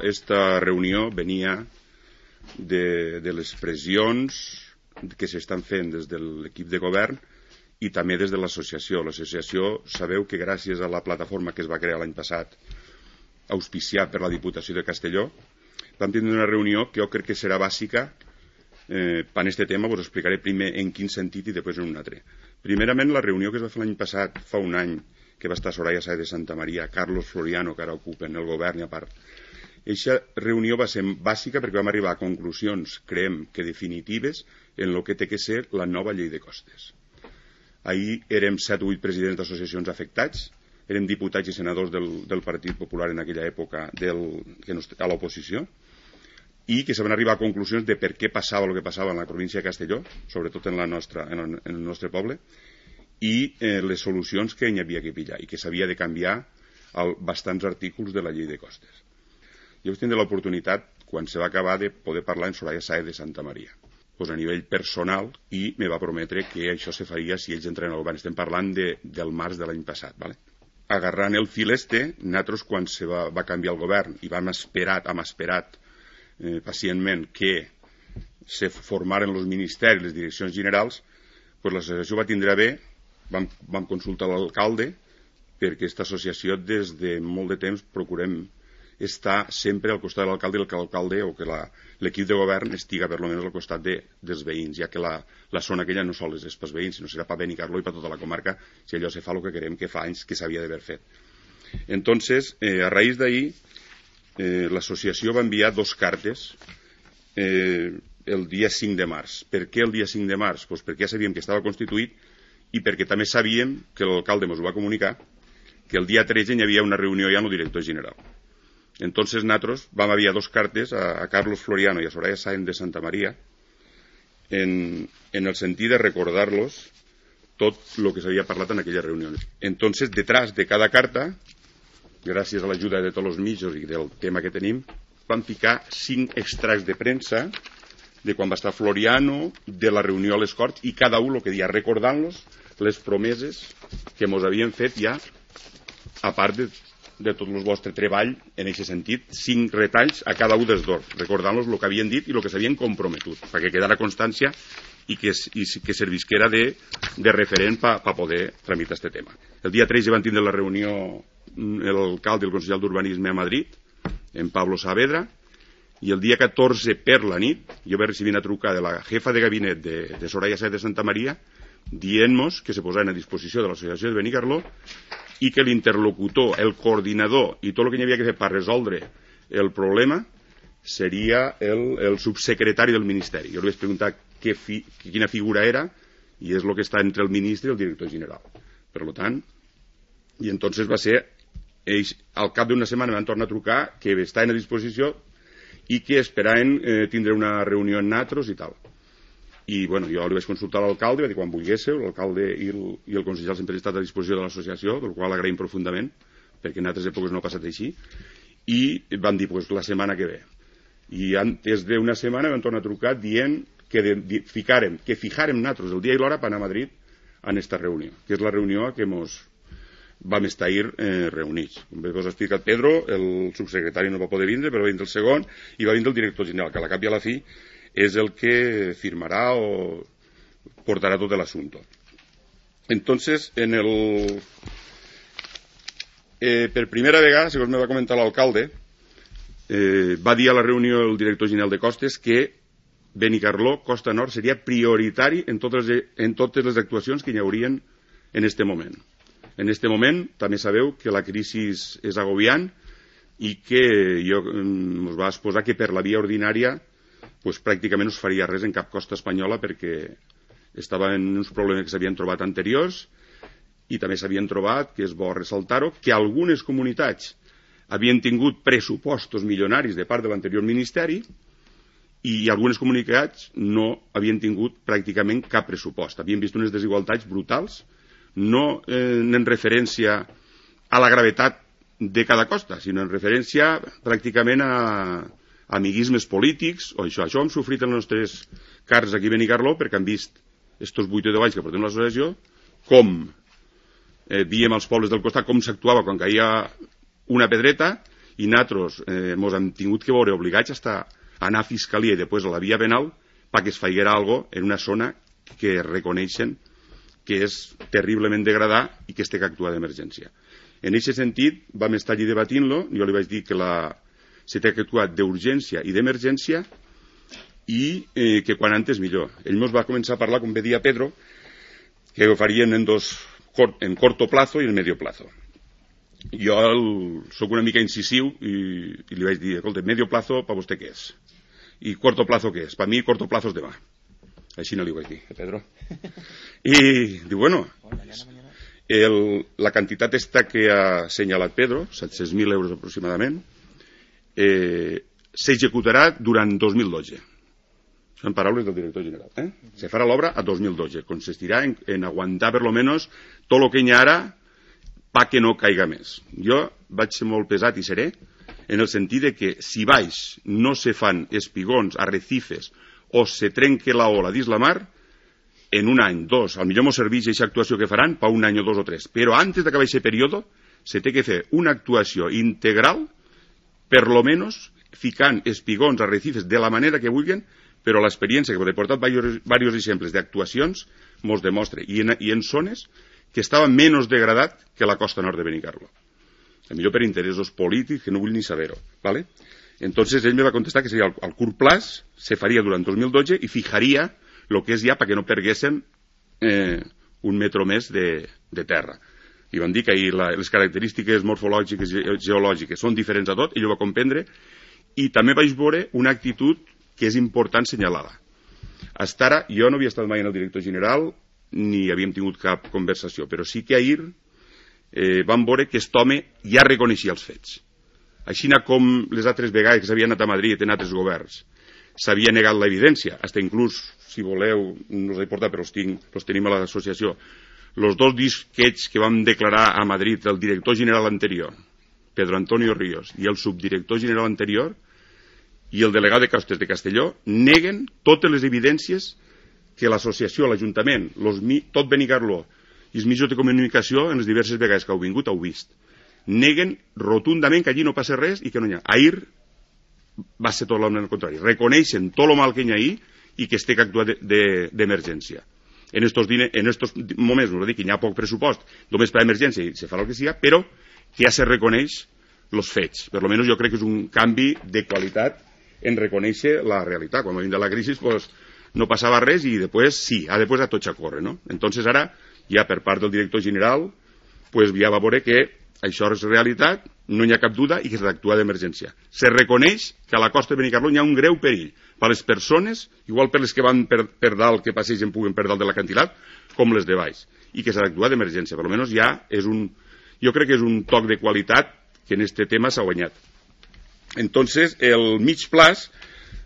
Esta reunió venia de les pressions que s'estan fent des de l'equip de govern i també des de l'associació. L'associació, sabeu que gràcies a la plataforma que es va crear l'any passat, auspiciat per la Diputació de Castelló, vam tindre una reunió que jo crec que serà bàsica per aquest tema. Us explicaré primer en quin sentit i després en un altre. Primerament, la reunió que es va fer l'any passat, fa un any, que va estar Soraya Sáez de Santamaría, Carlos Floriano, que ara ocupen el govern i a part. Aquesta reunió va ser bàsica perquè vam arribar a conclusions, creiem que definitives, en el que té que ser la nova llei de costes. Ahir érem 7 o 8 presidents d'associacions afectats, érem diputats i senadors del Partit Popular en aquella època a l'oposició, i que se van arribar a conclusions de per què passava el que passava en la província de Castelló, sobretot en el nostre poble, i les solucions que hi havia que pillar i que s'havia de canviar bastants artículs de la llei de costes. Jo vaig tindre l'oportunitat, quan se va acabar, de poder parlar amb Soraya Sáez de Santamaría, a nivell personal, i me va prometre que això se faria si ells entren al govern. Estem parlant del març de l'any passat. Agarrant el fil nosaltres, quan se va canviar el govern i hem esperat pacientment que se formaren els ministeris, les direccions generals, l'associació va tindre bé, vam consultar l'alcalde, perquè aquesta associació des de molt de temps procurem estar sempre al costat de l'alcalde i que l'alcalde o que l'equip de govern estiga per almenys al costat dels veïns, ja que la zona aquella no sols és pels veïns, sinó serà per Benicarló i per tota la comarca, si allò se fa el que querem, que fa anys que s'havia d'haver fet. Entonces, a raïs d'ahir, l'associació va enviar 2 cartes el dia 5 de març. Per què el dia 5 de març? Perquè ja sabíem que estava constituït i perquè també sabíem que l'alcalde ens ho va comunicar que el dia 13 hi havia una reunió ja amb el director general. Entonces nosaltres vam enviar 2 cartes a Carlos Floriano i a Soraya Sáez de Santamaría en el sentit de recordar-los tot el que s'havia parlat en aquella reunió. Entonces, detrás de cada carta, gràcies a l'ajuda de tots els mitjans i del tema que tenim, vam ficar 5 extractes de premsa de quan va estar Floriano, de la reunió a les Corts, i cada un el que dia, recordant-los les promeses que ens havien fet ja, a part de tot el vostre treball en aquest sentit, 5 retalls a cada un dels dos, recordant-los el que havien dit i el que s'havien comprometut, perquè quedara constància i que servisquera de referent per poder tramitar aquest tema. El dia 13 van tindre la reunió l'alcalde i el conseller d'Urbanisme a Madrid, en Pablo Saavedra, i el dia 14 per la nit jo vaig recibir una trucada de la jefa de gabinet de Soraya Sáez de Santamaría dient-nos que se posaven a disposició de l'associació de Benicarló i que l'interlocutor, el coordinador i tot el que hi havia que fer per resoldre el problema seria el subsecretari del Ministeri. Jo li vaig preguntar quina figura era i és el que està entre el ministre i el director general. Per tant, i entonces va ser ells, al cap d'una setmana van tornar a trucar que estaven a disposició i que esperaven tindre una reunió amb nosaltres i tal. I bueno, jo li vaig consultar a l'alcalde, va dir quan volguéssiu, l'alcalde i el conseller sempre han estat a disposició de l'associació, del qual agraïm profundament, perquè en altres èpoques no ha passat així, i van dir la setmana que ve. I antes d'una setmana van tornar a trucar dient que fijarem nosaltres el dia i l'hora per anar a Madrid en aquesta reunió, que és la reunió que vam estar ahir reunits. Com bé us ha explicat Pedro, el subsecretari no va poder vindre, però va vindre el segon i va vindre el director general, que a la cap i a la fi és el que firmarà o portarà tot l'assumpte. Entonces, per primera vegada, segons me va comentar l'alcalde, va dir a la reunió el director general de Costes que Benicarló, Costa Nord, seria prioritari en totes les actuacions que hi haurien en aquest moment. En aquest moment també sabeu que la crisi és agobiant i que ens va exposar que per la via ordinària pràcticament no es faria res en cap costa espanyola perquè estaven uns problemes que s'havien trobat anteriors i també s'havien trobat, que és bo ressaltar-ho, que algunes comunitats havien tingut pressupostos milionaris de part de l'anterior ministeri i algunes comunitats no havien tingut pràcticament cap pressupost. Havien vist unes desigualtats brutals, no en referència a la gravetat de cada costa, sinó en referència pràcticament a amiguismes polítics o això. Això ho hem sofrit en les nostres carns aquí a Benicarló perquè han vist estos 8 o 10 anys que portem l'associació com diem als pobles del costat com s'actuava quan caia una pedreta i nosaltres ens hem tingut que veure obligats a anar a Fiscalia i després a la via penal perquè es faiguera alguna cosa en una zona que reconeixen que és terriblement degradada i que es té que actuar d'emergència. En aquest sentit, vam estar allí debatint-lo, jo li vaig dir que se té que actuar d'urgència i d'emergència i que quan antes millor. Ell ens va començar a parlar, com bé dia Pedro, que ho farien en corto plazo i en medio plazo. Jo sóc una mica incisiu i li vaig dir, escolta, medio plazo per vostè què és? I corto plazo què és? Per mi corto plazo és demà. Així no li vaig dir, Pedro. I diu, bueno, la quantitat esta que ha assenyalat Pedro, 700.000 euros aproximadament, s'executarà durant 2012. Són paraules del director general. Se farà l'obra a 2012. Consistirà en aguantar per lo menos tot el que hi ha ara pa que no caiga més. Jo vaig ser molt pesat i seré en el sentit de que si baix no se fan espigons, arrecifes o se trenque la ola dins la mar, en un any, dos, al millor mos serveix aquesta actuació que faran per un any o dos o tres. Però antes d'acabar aquest període se té que fer una actuació integral, per lo menos ficant espigons, arrecifes de la manera que vulguin, però l'experiència que he portat diversos exemples d'actuacions mos demostra, i en zones que estava menys degradat que la costa nord de Benicarló. A millor per interessos polítics, que no vull ni saber-ho. ¿Vale? Entonces ell me va contestar que seria al curt plaç, se faria durant 2012 i fijaria el que és ja perquè no perguéssim un metro més de terra. I van dir que les característiques morfològiques i geològiques són diferents a tot, ell ho va comprendre, i també vaig veure una actitud que és important assenyalar-la. Hasta ara, jo no havia estat mai en el director general ni havíem tingut cap conversació, però sí que ahir vam veure que aquest home ja reconeixia els fets. Així com les altres vegades que s'havien anat a Madrid en altres governs s'havia negat l'evidència, fins inclús, si voleu, no us he portat, però els tenim a l'associació, els dos disquets que vam declarar a Madrid el director general anterior, Pedro Antonio Ríos, i el subdirector general anterior, i el delegat de Costes de Castelló, neguen totes les evidències que l'associació, l'Ajuntament, tot Benicarló i els mitjans de comunicació en les diverses vegades que heu vingut heu vist. Neguen rotundament que allí no passa res i que no hi ha. Ahir va ser tot el contrari. Reconeixen tot el mal que hi ha ahir i que es té que actuar d'emergència. En estos moments, no dic que hi ha poc pressupost, només per a emergència i se farà el que sigui, però que ja se reconeix els fets. Per almenys jo crec que és un canvi de qualitat en reconèixer la realitat. Quan va vindre la crisi pues, no passava res i després sí, després a tot a córrer, no? Entonces ara, ja per part del director general, pues ja va veure que això és realitat, no hi ha cap duda i que s'ha d'actuar d'emergència. Se reconeix que a la costa de Benicarló hi ha un greu perill per a les persones, igual per les que van per dalt, que passegen puguen per dalt de l'acantilat, com les de baix, i que s'ha d'actuar d'emergència. Per almenys ja és jo crec que és un toc de qualitat que en este tema s'ha guanyat. Entonces, el mig plaç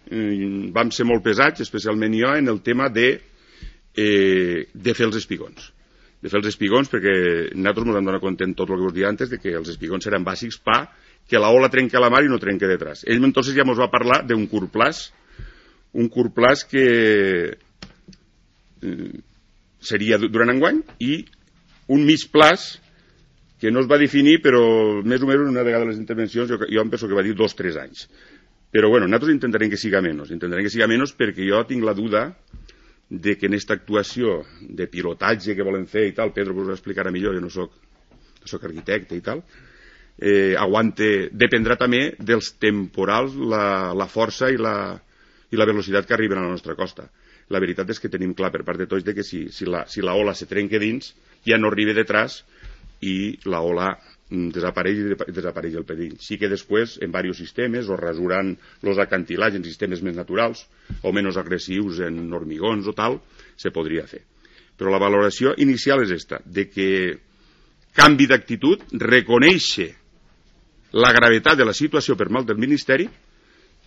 vam ser molt pesats, especialment jo, en el tema de fer els espigons. De fer els espigons perquè nosaltres ens hem donat compte en tot el que us dia antes de que els espigons eren bàsics per que la ola trenca la mar i no trenca detrás. Ell entonces ja ens va parlar d'un curt plaç que seria durant enguany i un mig plaç que no es va definir però més o menys en una vegada de les intervencions jo em penso que va dir 2 o 3 anys. Però bueno, nosaltres intentarem que siga menys perquè jo tinc la duda de que en aquesta actuació de pilotatge que volen fer i tal, Pedro us ho explicarà millor, jo no soc arquitecte i tal, dependrà també dels temporals, la força i la velocitat que arriben a la nostra costa. La veritat és que tenim clar per part de tots que si la ola se trenca dins, ja no arriba detrás i la ola desapareix el perill. Sí que després, en diversos sistemes, o rasurant els acantilats en sistemes més naturals o menys agressius en hormigons o tal, se podria fer. Però la valoració inicial és esta, de que canvi d'actitud, reconèixer la gravetat de la situació per mal del Ministeri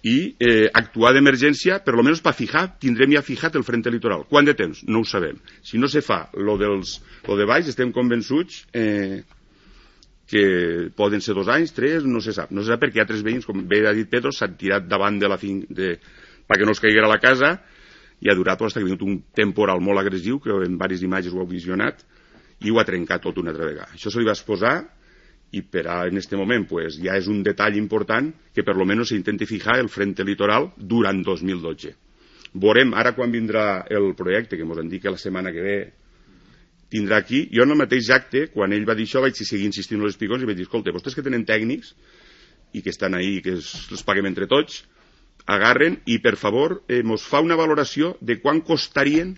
i actuar d'emergència, per almenys per tindrem ja fijat el frente litoral. Quant de temps? No ho sabem. Si no se fa lo de baix, estem convençuts que poden ser 2 anys, 3, no se sap. No se sap perquè altres veïns, com bé ha dit Pedro, s'han tirat davant de la perquè no es caiguera la casa i ha durat fins que ha vingut un temporal molt agressiu, que en diverses imatges ho heu visionat, i ho ha trencat tot una altra vegada. Això se li va exposar i en este moment pues, ja és un detall important que per lo menos s'intenti fijar el frente litoral durant 2012. Veurem ara quan vindrà el projecte, que ens han dit que la setmana que ve tindrà aquí. Jo en el mateix acte, quan ell va dir això, vaig seguir insistint als espigons i vaig dir, escolta, vostès que tenen tècnics i que estan ahí, que els paguem entre tots, agarren i per favor mos fa una valoració de quan costarien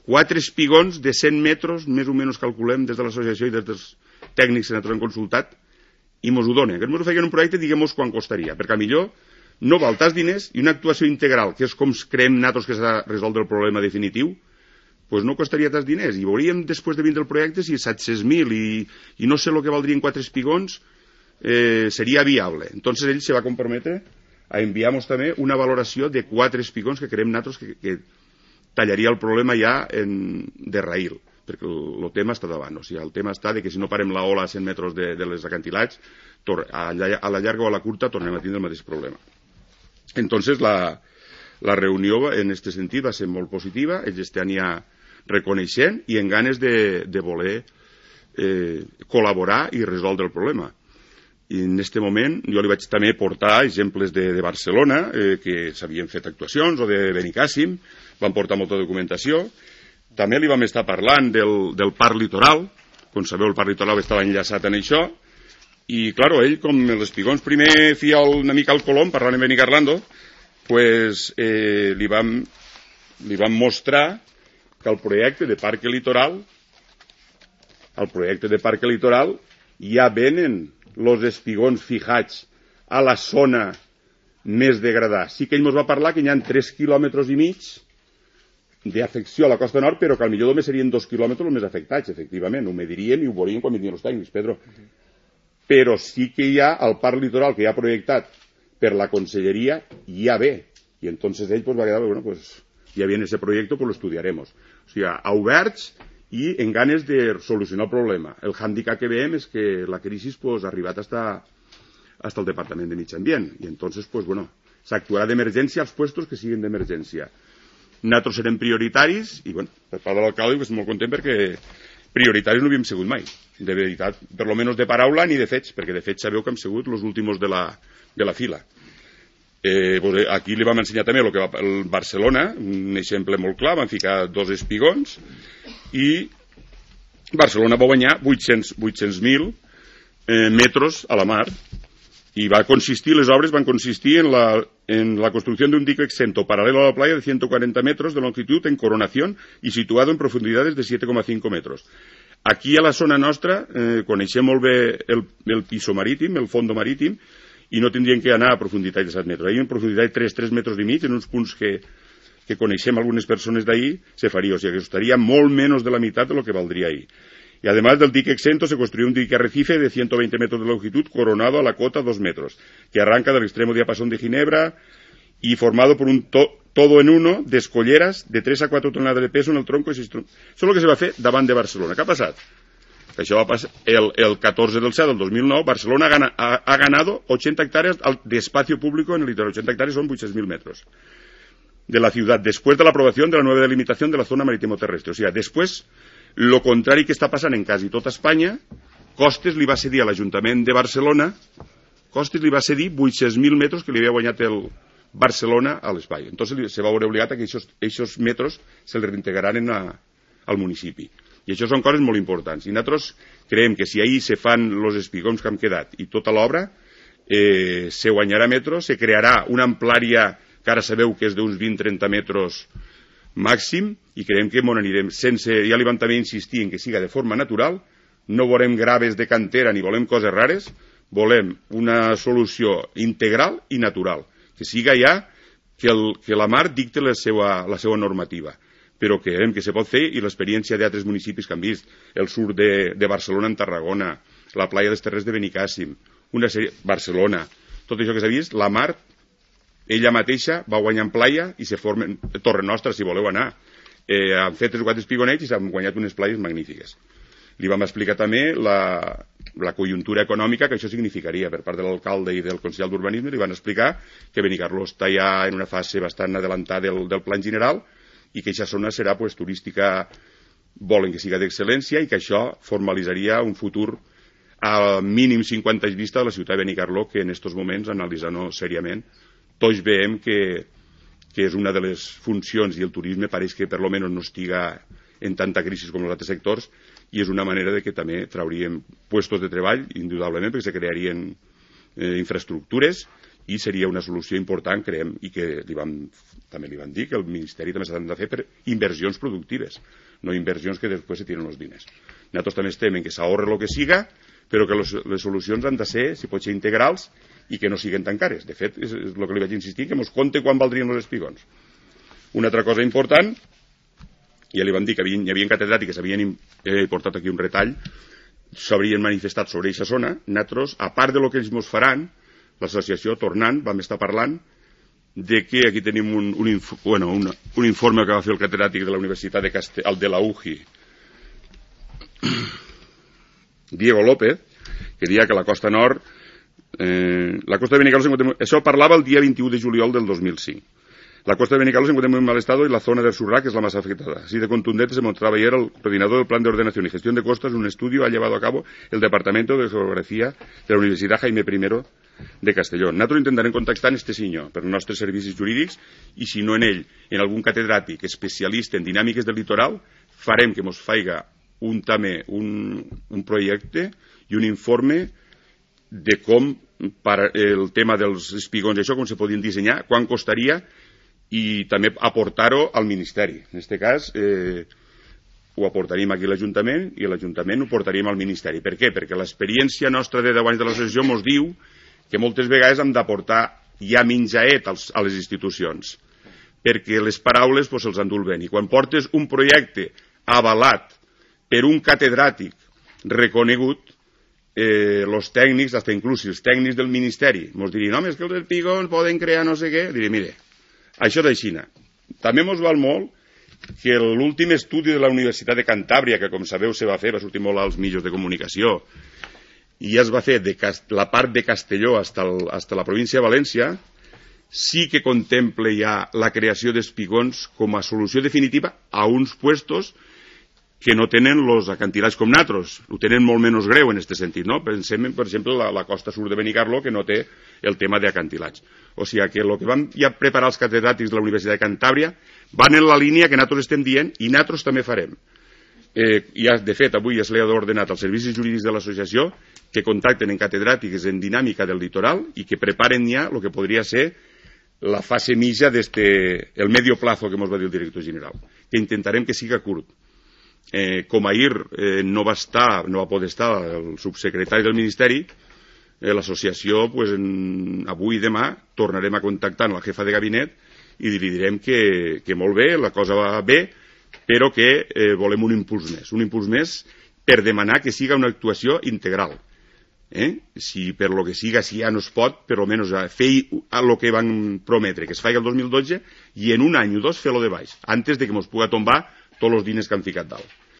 4 espigons de 100 metres, més o menys calculem des de l'associació i des dels tècnics que nosaltres hem consultat, i mos ho donen. Que mos ho feien un projecte, diguem-nos quan costaria, perquè millor no val tants diners i una actuació integral, que és com creiem nosaltres que s'ha resolt el problema definitiu, pues no costaria tants diners. I veuríem després de vindre el projecte si 700.000 i no sé el que valdrien 4 espigons seria viable. Entonces ell se va comprometre a enviar-nos també una valoració de 4 espigons que creiem nosaltres que tallaria el problema ja de raïl, perquè el tema està davant. O sigui, el tema està de que si no parem la ola a 100 metres de les acantilats, a la llarga o a la curta tornem a tindre el mateix problema. Entonces la reunió en aquest sentit va ser molt positiva, ells estan ja reconeixent i en ganes de voler col·laborar i resoldre el problema. I en aquest moment jo li vaig també portar exemples de Barcelona, que s'havien fet actuacions, o de Benicàssim, van portar molta documentació. També li vam estar parlant del parc litoral, com sabeu el parc litoral estava enllaçat en això, i claro, ell com els espigons primer feia una mica al Colom, parlant amb Benicarlando, pues li vam mostrar que el projecte de parc litoral ja venen els espigons fijats a la zona més degradada. Sí que ell ens va parlar que hi ha 3,5 quilòmetres d'afecció a la costa nord, però que al millor només serien 2 quilòmetres els més afectats, efectivament. Ho mediríem i ho veuríem quan vindrien els tècnics, Pedro. Però sí que hi ha el parc litoral que ja ha projectat per la conselleria, ja ve. I entonces ell pues, va quedar, bueno, pues, ja viene ese proyecto, pues lo estudiaremos. O sigui, a oberts i en ganes de solucionar el problema. El hàndicap que veiem és que la crisi pues, ha arribat hasta el Departament de Mig Ambient. I entonces, pues, bueno, s'actuarà d'emergència als puestos que siguin d'emergència. Nosaltres serem prioritaris i, bueno, per part de l'alcalde estic molt content perquè prioritaris no havíem sigut mai. De veritat, per lo menos de paraula ni de fets, perquè de fets sabeu que hem sigut els últims de la fila. Pues aquí li vam ensenyar també el que va el Barcelona, un exemple molt clar, van ficar 2 espigons i Barcelona va guanyar 800.000 metres a la mar i les obres van consistir en la construcción de un dique exento paralelo a la playa de 140 metros de longitud en coronación y situado en profundidades de 7,5 metros. Aquí a la zona nostra coneixem molt bé el piso marítim, el fondo marítim, i no tindrien que anar a profunditat de 7 metres. Ahí en profunditat de 3 metres i mig, en uns punts que coneixem algunes persones d'ahí, se faria. O sigui, que estaria molt menys de la meitat de lo que valdria ahí. Y además del dique exento se construyó un dique arrecife de 120 metros de longitud coronado a la cota 2 metros, que arranca del extremo diapasón de Ginebra y formado por un todo en uno de escolleras de 3 a 4 toneladas de peso en el tronco. Eso es lo que se va a fer davant de Barcelona. Què ha passat? Això va passar el 14 del 7 del 2009. Barcelona ha ganado 80 hectáreas de espacio público en el litoral. 80 hectáreas son 800.000 metros de la ciudad, después de la aprobación de la nueva delimitación de la zona marítimo terrestre. O sea, después, lo contrari que està passant en quasi tota Espanya, Costes li va cedir a l'Ajuntament de Barcelona, 800.000 metres que li havia guanyat el Barcelona a l'espai. Entonces se va veure obligat a que aquests metres se li reintegraran al municipi. I això són coses molt importants. I nosaltres creiem que si ahir se fan els espigons que han quedat i tota l'obra, se guanyarà metres, se crearà una amplària que ara sabeu que és d'uns 20-30 metres màxim, i creiem que m'on anirem sense, ja li vam també insistir en que siga de forma natural, no volem graves de cantera ni volem coses rares, volem una solució integral i natural, que siga ja que la mar dicte la seva normativa, però que creiem que se pot fer, i l'experiència d'altres municipis que han vist, el sud de Barcelona en Tarragona, la playa dels Terrers de Benicàssim, Barcelona, tot això que s'ha vist, la mar ella mateixa va guanyar en playa i se formen, Torre Nostra, si voleu anar, han fet 3 o 4 espigonets i s'han guanyat unes playes magnífiques. Li vam explicar també la conjuntura econòmica que això significaria per part de l'alcalde i del Consell d'Urbanisme. Li van explicar que Benicarló està ja en una fase bastant adelantada del plan general i que aquesta zona serà turística, volen que siga d'excel·lència i que això formalitzaria un futur a mínim 50 anys vista de la ciutat de Benicarló, que en aquests moments, analitzant-ho seriament, tots veiem que és una de les funcions, i el turisme pareix que per lo menos no estiga en tanta crisi com els altres sectors, i és una manera de que també trauríem puestos de treball, indudablement, perquè se crearien infraestructures, i seria una solució important, creiem, i que també li van dir que el Ministeri també s'ha de fer per inversions productives, no inversions que després se tiren els diners. Nosaltres també estem en que s'ahorre el que siga, però que les solucions han de ser, si pot ser, integrals i que no siguin tan cares. De fet, és el que li vaig insistir, que mos compte quan valdrien els espigons. Una altra cosa important, ja li vam dir que hi havia catedràtics que s'havien portat aquí un retall, s'haurien manifestat sobre aquesta zona. Nosaltres, a part de lo que ells mos faran, l'associació, tornant, vam estar parlant de que aquí tenim un informe que va fer el catedràtic de la Universitat de la UJI, Diego López, que deia que la costa nord, la costa de Benicarló, això parlava el dia 21 de juliol del 2005. La costa de Benicarló se encuentra en muy mal estado y la zona del Surrá, que es la más afectada. Así de contundente se mostraba ayer el coordinador del Plan de Ordenación y Gestión de Costas. Un estudio ha llevado a cabo el Departamento de Geografía de la Universitat Jaime I de Castelló. Nosaltres intentarem contactar en este senyor per als nostres servicis jurídics, i si no en ell, en algun catedràtic especialista en dinàmiques del litoral, farem que mos faiga un projecte i un informe de com el tema dels espigons, això com se podien dissenyar, quan costaria, i també aportar-ho al Ministeri. En aquest cas, ho aportaríem aquí a l'Ajuntament i l'Ajuntament ho portaríem al Ministeri. Per què? Perquè l'experiència nostra de 10 anys de l'associació ens diu que moltes vegades hem d'aportar ja menjaet a les institucions, perquè les paraules se'ls endú el vent. I quan portes un projecte avalat per un catedràtic reconegut, els tècnics, fins inclús els tècnics del Ministeri, ens dirien, home, és que els espigons poden crear no sé què. Diré, mire, això d'aixina. També ens val molt que l'últim estudi de la Universitat de Cantàbria, que com sabeu se va fer, va sortir molt als mitjans de comunicació, i ja es va fer de la part de Castelló fins a la província de València, sí que contempla ja la creació d'espigons com a solució definitiva a uns puestos que no tenen els acantilats com nosaltres, ho tenen molt menys greu en aquest sentit, no? Pensem, per exemple, la costa sud de Benicarló, que no té el tema d'acantilats. O sigui que el que vam ja preparar els catedràtics de la Universitat de Cantàbria van en la línia que nosaltres estem dient, i nosaltres també farem. Ja, de fet, avui es li ha ordenat als servicis jurídics de l'associació que contacten en catedràtics en dinàmica del litoral i que preparen ja el que podria ser la fase mitja el medio plazo que ens va dir el director general, que intentarem que siga curt. Com ahir no va poder estar el subsecretari del Ministeri, l'associació, avui i demà tornarem a contactar amb la jefa de gabinet i li direm que molt bé, la cosa va bé, però que volem un impuls més per demanar que siga una actuació integral. Si per lo que siga, si ja no es pot, per almenys fer el que van prometre, que es faci el 2012, i en un any o dos fer-lo de baix, antes de que ens pugui tombar tots els diners que han ficat dalt.